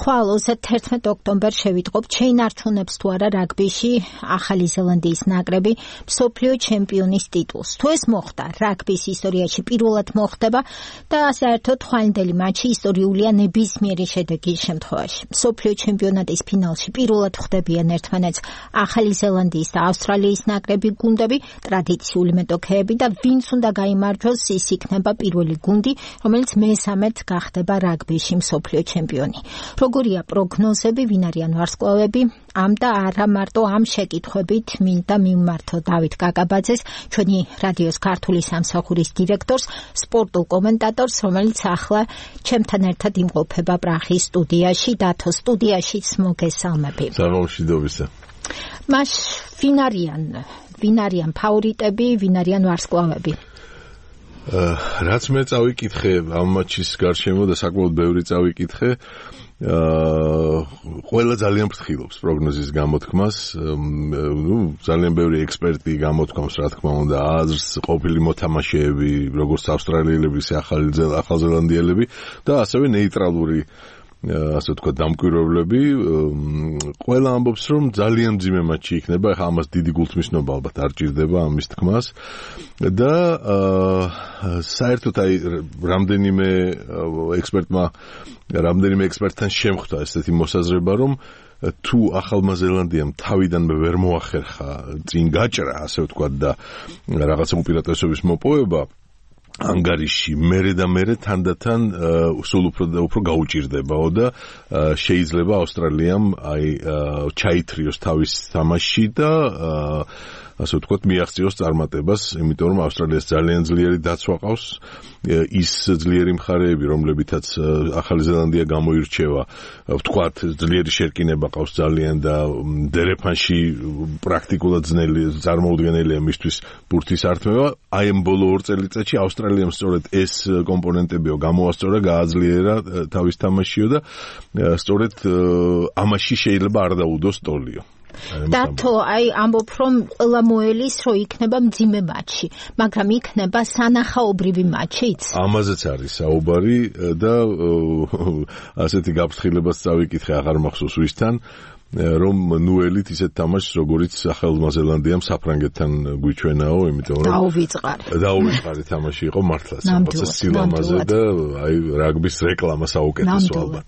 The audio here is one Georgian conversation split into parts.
ხვალ 31 ოქტომბერს შევიტყობ შეინარჩუნებს თუ არა რაგბიში ახალი ზელანდიის ნაკრები მსოფლიო ჩემპიონის ტიტულს. თუ ეს მოხდა, რაგბის ისტორიაში პირველად მოხდება და საერთოდ ხვალინდელი მატჩი ისტორიულია ნებისმიერი შედეგის შემთხვევაში. მსოფლიო ჩემპიონატის ფინალში პირველად ხვდებიან ერთმანეთს ახალი ზელანდიის და ავსტრალიის ნაკრები გუნდები, ტრადიციული მეტოქეები და ვინც უნდა გაიმარჯვოს, ის იქნება პირველი გუნდი, რომელიც მესამედ გახდება რაგბიში მსოფლიო ჩემპიონი. როგორია პროგნოზები, ვინ არიან ვარსკვლავები, ამ და არა მარტო ამ შეკითხვებით მინდა მიმართო დავით კაკაბაძეს, ჩვენი რადიოს ქართული სამსახურის დირექტორს, სპორტულ კომენტატორს, რომელიც ახლა ჩემთან ერთად იმყოფება პრაღის სტუდიაში, დათო სტუდიაშიც მოგესალმები. სამომშვიდობისა. მას ვინ არიან ფავორიტები, ვინ არიან ვარსკვლავები? რაც მე წავიკითხე ამ მატჩის გარშემო და საკმაოდ ბევრი წავიკითხე, ყველა ძალიან ფრთხილობს პროგნოზის გამოთქმას, ძალიან ბევრი ექსპერტი გამოთქვამს, რა თქმა უნდა, აზრს, ყოფილი მოთამაშეები, როგორც ავსტრალიელები, ახალზელანდიელები და ასევე ნეიტრალური ასე თქვა დამკვირვებლები, ყველა ამბობს, რომ ძალიან მძიმე მატჩი იქნება, ახლა ამას დიდი გულთმისნობა ალბათ არ ჭირდება ამის თქმას და საერთოდ რამდენიმე ექსპერტთან შემხვდა ესეთი მოსაზრება, რომ თუ ახალმა ზელანდიამ თავიდანვე ვერ მოახერხა წინ გაჭრა, ასე ვთქვა და რაღაცა უპირატესობის მოპოვება ანგარიში მერე თანდათან სულ უფრო გაუჭირდებაო და შეიძლება ავსტრალიამ ჩაითრიოს თავის თამაში და ასე ვთქვათ მიაღწიოს წარმატებას, იმიტომ რომ ავსტრალიას ძალიან ძლიერი დაცვა ყავს, ის ძლიერი მხარეები, რომლებითაც ახალი ზელანდია გამოირჩევა, ვთქვათ, ძლიერი შერკინება ყავს ძალიან და დერეფანში პრაქტიკულად წარმოუდგენელია მისთვის ბურთის ართმევა. აი ამ ბოლო 2 წელიწადში ავსტრალიამ სწორედ ეს კომპონენტებიო გამოასწორა, გააძლიერა თავის თამაშიო და სწორედ ამაში შეიძლება არ დაუდოს ტოლიო. დათო, ამბობ, რომ ყველა მოელის, რომ იქნება მძიმე მატჩი, მაგრამ იქნება სანახაობრივი მატჩიც? ამაზეც არის საუბარი და ასეთი გაფრთხილებაც წავიკითხე, აღარ მახსოვს ვისთან, რომ ნუელით ისეთ თამაშს, როგორც ახალმა ზელანდიამ საფრანგეთთან გვიჩვენაო, იმიტომ რომ დაუვიწყარი თამაში იყო მართლაც, რაღაცა სილამაზე და რაგბის რეკლამა საუკეთესო ალბათ.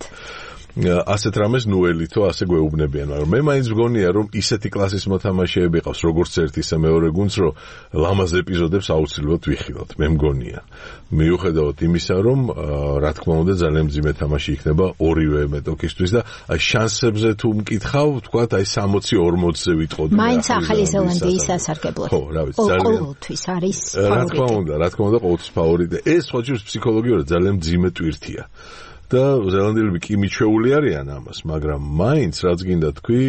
ასეთ რამეს ნუელითო ასე გვეუბნებიან, მაგრამ მე მაინც მგონია, რომ ისეთი კლასის მოთამაშეები ყავს, როგორც ერთ ისე მეორე გუნდს, რომ ლამაზ ეპიზოდებს აუცილებლად ვიხილავთ, მე მგონია. მიუხედავად იმისა, რომ რა თქმა უნდა ძალიან მძიმე თამაში იქნება ორივე მეტოქისთვის და შანსებზე თუ მკითხავ, ვთქვათ, 60-40-ზე ვიტყოდი. მაინც ახალი ზელანდიის სასარგებლოდ. ხო, რა ვიცი, ძალიან ყოველთვის არის ფავორიტი. რა თქმა უნდა, ყოველთვის ფავორიტი. ეს სხვა ჯერს ფსიქოლოგიურად ძალიან მძიმე ტვირთია. და ზელანდიელები კი მიჩვეული არიან ამას, მაგრამ მაინც რაც გინდა თქვი,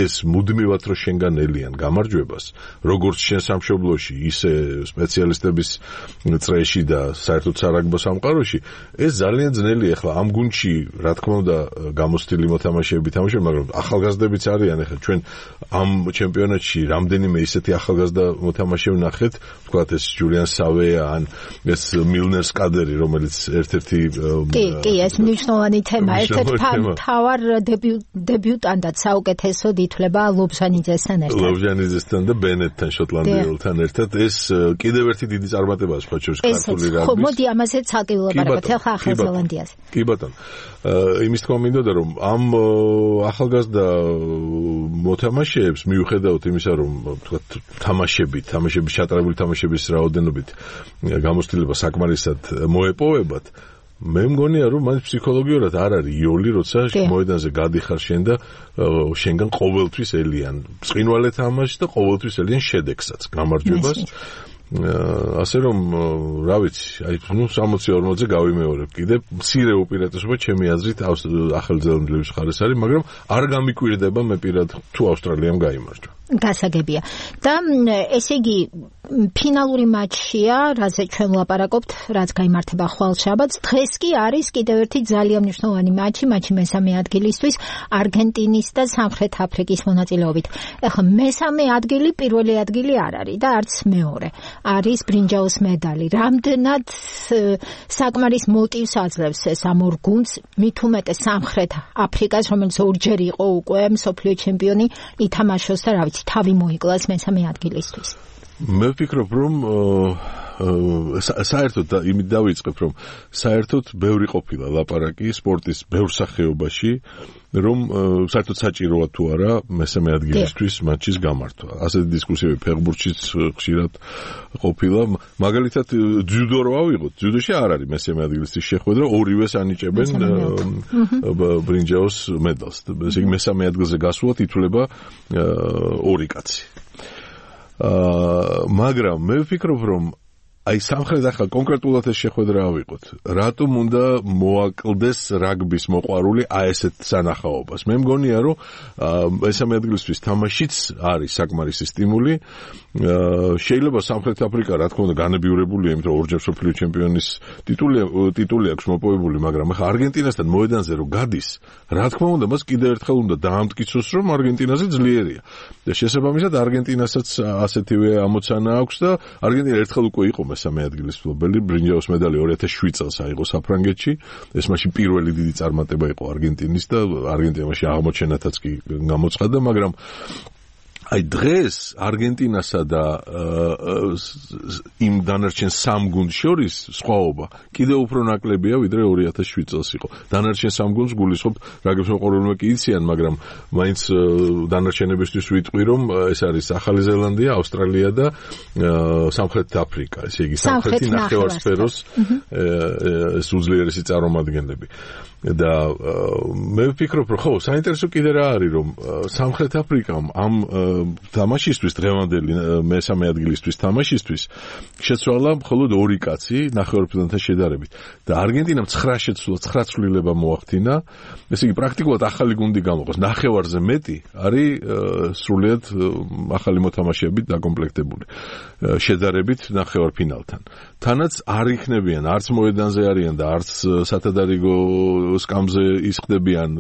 ეს მუდმივად რო შენგან ელიან გამარჯვებას, როგორც შენ სამშობლოში, ისე სპეციალისტების წრეში და საერთოდ სარაგბო სამყაროში, ეს ძალიან ძნელია. ახლა ამ გუნდში, რა თქმა უნდა, გამოცდილი მოთამაშეები თამაშობენ, მაგრამ ახალგაზრდებიც არიან. ახლა ჩვენ ამ ჩემპიონატში რამდენიმე ისეთი ახალგაზრდა მოთამაშე ვნახეთ, ვთქვათ, ეს ჯულიან სავე ან ეს მილნერ სკადერი, რომელიც ერთ-ერთი კი, ეს მნიშვნელოვანი თემა. ერთ-ერთი მთავარ დებიუტანტად საუკეთესოდ ითვლება ლობჟანიძესთან ერთად. ლობჟანიძესთან და ბენეტთან, შოტლანდიელთან ერთად. ეს კიდევ ერთი დიდი წარმატებაა სხვა შორის ქართული რაგბის. ხო, მოდი ამაზეც ცალკე ვილაპარაკოთ, ახლა ახალ ზელანდიას. კი ბატონო. იმის თქმა მინდოდა, რომ ამ ახალგაზრდა მოთამაშეებს მიუხედავად იმისა, რომ ვთქვათ, თამაშების ჩატარებული თამაშების რაოდენობით გამოცდილება საკმარისად მოეპოვებათ, მე მგონია, რომ მან ფსიქოლოგიურად არ არის იოლი, როცა მოედანზე გადიხარ შენ და შენგან ყოველთვის ელიან ბრწყინვალე თამაში და ყოველთვის ელიან შედეგსაც, გამარჯვებას. ასე რომ, რა ვიცი, 60-40-ზე გავიმეორებ კიდე, მცირე უპირატესობა ჩემი აზრით ახალ ზელანდიელების მხარეს არის, მაგრამ არ გამიკვირდება მე პირად თუ ავსტრალიამ გაიმარჯვა. გასაგებია. და ესე იგი ფინალური მატჩია, რაზე ჩვენ ვლაპარაკობთ, რაც გაიმართება ხვალ შაბათს. დღეს კი არის კიდევ ერთი ძალიან მნიშვნელოვანი მატჩი მესამე ადგილისთვის არგენტინის და სამხრეთ აფრიკის მონაწილეობით. ეხლა მესამე ადგილი პირველი ადგილი არ არის და არც მეორე. არის ბრინჯაოს მედალი. რამდენად საკმარის მოტივს აძლევს ეს ამ ორ გუნდს, მით უმეტეს სამხრეთ აფრიკას, რომელიც ორჯერ იყო უკვე მსოფლიო ჩემპიონი, ითამაშოს და რა ვიცი, თავი მოიკლას მესამე ადგილისთვის. მე ვფიქრობ, რომ საერთოდ იმით დავიწყებ, რომ საერთოდ ბევრი ყოფილა ლაპარაკი სპორტის ბევრ სახეობაში, რომ საერთოდ საჭიროა თუ არა მესამე ადგილისთვის მატჩის გამართვა. ასეთი დისკუსიები ფეხბურთშიც ხშირად ყოფილა. მაგალითად, ძიუდო რო ავიღოთ, ძიუდოში არ არის მესამე ადგილისთვის შეხვედრა, ორივეს ანიჭებენ ბრინჯაოს მედალს. ესე იგი მესამე ადგილზე გასულად ითვლება ორი კაცი. მაგრამ მე ვფიქრობ, რომ აი სამხრეთ ახლა კონკრეტულად ეს შეხვედრა ავიღოთ. რატომ უნდა მოაკლდეს რაგბის მოყვარული აი ესეთ სანახაობას? მე მგონია, რომ მესამე ადგილისთვის თამაშიც არის საკმარისი სტიმული. შეიძლება სამხრეთ აფრიკა, რა თქმა უნდა, განებიურებულია, იმიტომ რომ ორჯერ მსოფლიო ჩემპიონის ტიტული აქვს მოპოვებული, მაგრამ ახლა არგენტინასთან მოედანზე რო გადის, რა თქმა უნდა, მას კიდევ ერთხელ უნდა დაამტკიცოს, რომ არგენტინაზე ძლიერია. და შესაბამისად არგენტინასაც ასეთივე ამოცანა აქვს და არგენტინა ერთხელ უკვე იყო მესამე ადგილის მფლობელი, ბრინჯაოს მედალი 2007 წელს აიღო საფრანგეთში. ეს მაშინ პირველი დიდი წარმატება იყო არგენტინის და არგენტინაში აღმოჩენათაც კი გამოცხადდა, მაგრამ აი დღეს არგენტინასა და იმ დანარჩენ სამ გუნდს შორის სხვაობა კიდევ უფრო ნაკლებია, ვიდრე 2007 წელს იყო. დანარჩენ სამ გუნდს გულისხმობ, რაგებს მოყვარულმა კი იციან, მაგრამ მაინც დანარჩენებისთვის ვიტყვი, რომ ეს არის ახალი ზელანდია, ავსტრალია და სამხრეთ აფრიკა. ესე იგი სამხრეთი ნახევარსფეროს ეს უძლიერესი წარმომადგენლები. და მე ვფიქრობ, რომ ხო, საინტერესო კიდე რა არის, რომ სამხრეთ აფრიკამ ამ თამაშისთვის, დღევანდელი მესამე ადგილისთვის თამაშისთვის შეცვალა მხოლოდ ორი კაცი ნახევარფინალთან შედარებით. და არგენტინამ 9 შეცვლა, 9 ცვლილება მოახდინა. ესე იგი პრაქტიკულად ახალი გუნდი გამოყოს. ნახევარზე მეტი არის სრულიად ახალი მოთამაშეებით დაკომპლექტებული შედარებით ნახევარფინალთან. თანაც არ იქნებიან, არც მოედანზე არიან და არც სათადარიგო სკამზე ისხდებიან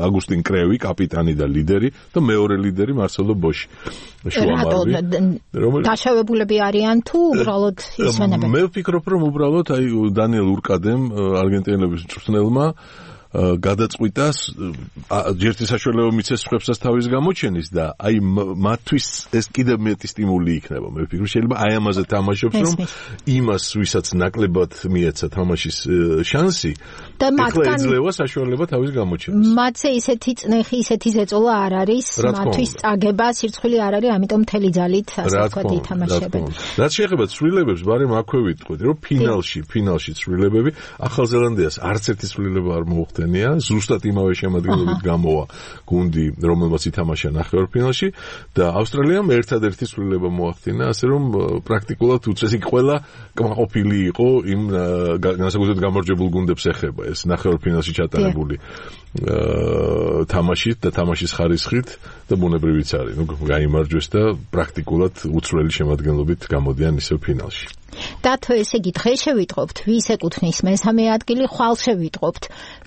აგუსტინ კრევი, კაპიტანი და ლიდერი და მეორე ლიდერი მარსელო ბოში. დაშავებულები არიან თუ უბრალოდ ისვენებენ? მე ვფიქრობ, რომ უბრალოდ აი დანიელ ურკადემ არგენტინელების მწვრთნელმა გადაწყვიტა ჯერთი საშუალება მიცეს სხვებსაც თავის გამოჩენის და აი მათთვის ეს კიდევ მეტი სტიმული იქნება. მე ვფიქრობ, შეიძლება აი ამაზე თამაშობს, რომ იმას, ვისაც ნაკლებად მიეცა თამაშის შანსი, ეხლა ეძლევა საშუალება თავის გამოჩენას. მათზე ისეთი წნეხი, ისეთი ზეწოლა არ არის, მათთვის წაგება, სირცხვილი არ არის, ამიტომ მთელი ძალით ასე ვთქვათ ითამაშებენ. რაც შეეხება ცვლილებებს, ბარემ აქვე ვიტყვით, რომ ფინალში ცვლილებები ახალ ზელანდიას არც ერთი ცვლილება არ მოუხდა. ზუსტად იმავე შემადგენლობით გამოვა გუნდი, რომელმაც ითამაშა ნახევარფინალში და ავსტრალიამ ერთადერთი ცვლილება მოახდინა, ასე რომ პრაქტიკულად უწესი ყველა კმაყოფილი იყო იმ განსაკუთრებით გამარჯვებულ გუნდებს ეხება ეს ნახევარფინალში ჩატარებული თამაშით და თამაშის ხარისხით და ბუნებრივიც არის. გაიმარჯვეს და პრაქტიკულად უცვლელი შემადგენლობით გამოდიან ისევ ფინალში. დათო, ესე იგი დღეს შევიტყობთ, ვის ეკუთვნის მესამე ადგილი, ხვალ შევიტყობთ,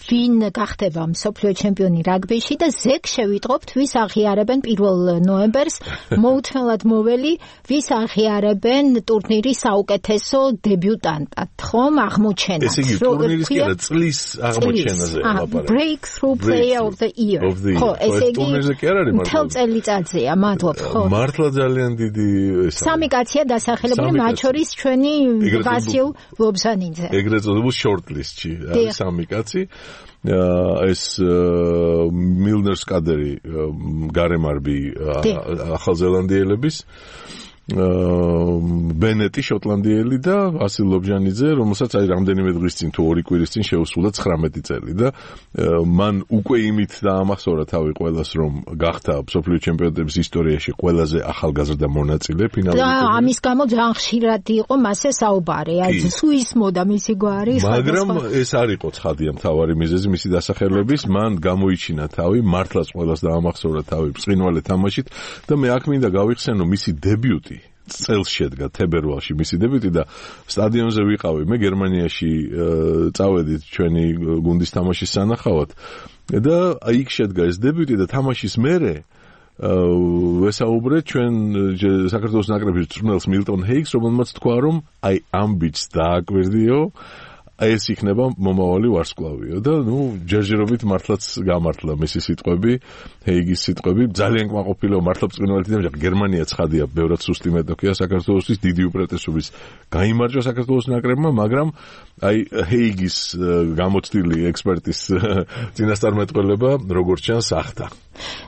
ვინ გახდება მსოფლიო ჩემპიონი რაგბიში და ზეგ შევიტყობთ, ვის აღიარებენ 1 ნოემბერს მოუთმელად მოველი, ვის აღიარებენ ტურნირის საუკეთესო დებიუტანტად, ხომ აღმოჩენად. ესე იგი ტურნირის კი არა, წლის აღმოჩენაზე ლაპარაკი. Breakthrough Player of the Year. ხო, ესე იგი ტურნირზე კი არ არის მართლა. მთელ წელიწადზეა, მადლობ, ხო. მართლა ძალიან დიდი ესაა. სამი კაცია დასახელებული, მათ შორის ჩვენი ვასილ ლობჟანიძე. ეგრეთ წოდებულ shortlist-ში არის სამი კაცი. ეს მილნერ სკადერი გარემარბი ახალზელანდიელების ბენეტი შოტლანდიელი და ვასილ ლობჟანიძე, რომელსაც აი რამდენიმე დღის წინ თუ 2 კვირის წინ შეუსრულა 19 წელი და მან უკვე იმით დაამახსოვრა თავი ყველას, რომ გახდა მსოფლიო ჩემპიონატების ისტორიაში ყველაზე ახალგაზრდა მონაწილე ფინალურ და ამის გამო ძალიან ხშირად იყო მასე საუბარი, აი სუის მოდა მისი გვარი, მაგრამ ეს არ იყო ცხადია მთავარი მიზეზი მისი დასახელების, მან გამოიჩინა თავი, მართლაც ყველას დაამახსოვრა თავი ბრწყინვალე თამაშით და მე აქ მინდა გავიხსენო მისი დებიუტი წელს შედგა თებერვალში მისი დებიუტი და სტადიონზე ვიყავი მე გერმანიაში წავედით ჩვენი გუნდის თამაშის სანახავად და იქ შედგა ეს დებიუტი და თამაშის მერე ვესაუბრეთ ჩვენ საქართველოს ნაკრების მწვრთნელს მილტონ ჰეიგს, რომელმაც თქვა რომ აი ამ ბიჭს დააკვირდიო ეს იქნება მომავალი ვარსკვლავიო და ჯერჯერობით მართლაც გამართლა მისი სიტყვები, ჰეიგის სიტყვები, ძალიან კმაყოფილო მართლა ბრწყინვალე თამაში, გერმანია ცხადია, ბევრად სუსტი მეტოქია საქართველოსთვის, დიდი უპირატესობის გაიმარჯვა საქართველოს ნაკრებმა, მაგრამ აი ჰეიგის გამოცდილი ექსპერტის წინასწარმეტყველება როგორც ჩანს ახდა.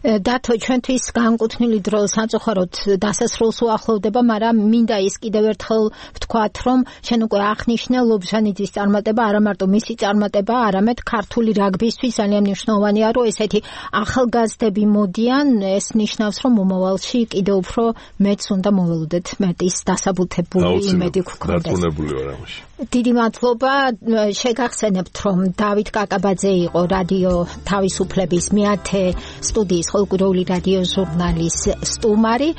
დათო, ჩვენთვის განკუთვნილი დრო სამწუხაროდ დასასრულს უახლოვდება, მაგრამ მინდა ის კიდევ ერთხელ ვთქვათ, რომ შენ უკვე აღნიშნე ლობჟანიძის წარმატება, არა მარტო მისი წარმატება, არამედ ქართული რაგბისთვის ძალიან მნიშვნელოვანია, რომ ესეთი ახალგაზრდები მოდიან, ეს ნიშნავს, რომ მომავალში კიდევ უფრო მეც უნდა მოველოდეთ მეტის დასაბუთებული იმედი გქონდეს. დარწმუნებული ვარ ამაში. დიდი მადლობა, შეგახსენებთ, რომ დავით კაკაბაძე იყო რადიო თავისუფლების მეათე სტუდიის ხალხური რადიო ჟურნალის სტუმარი.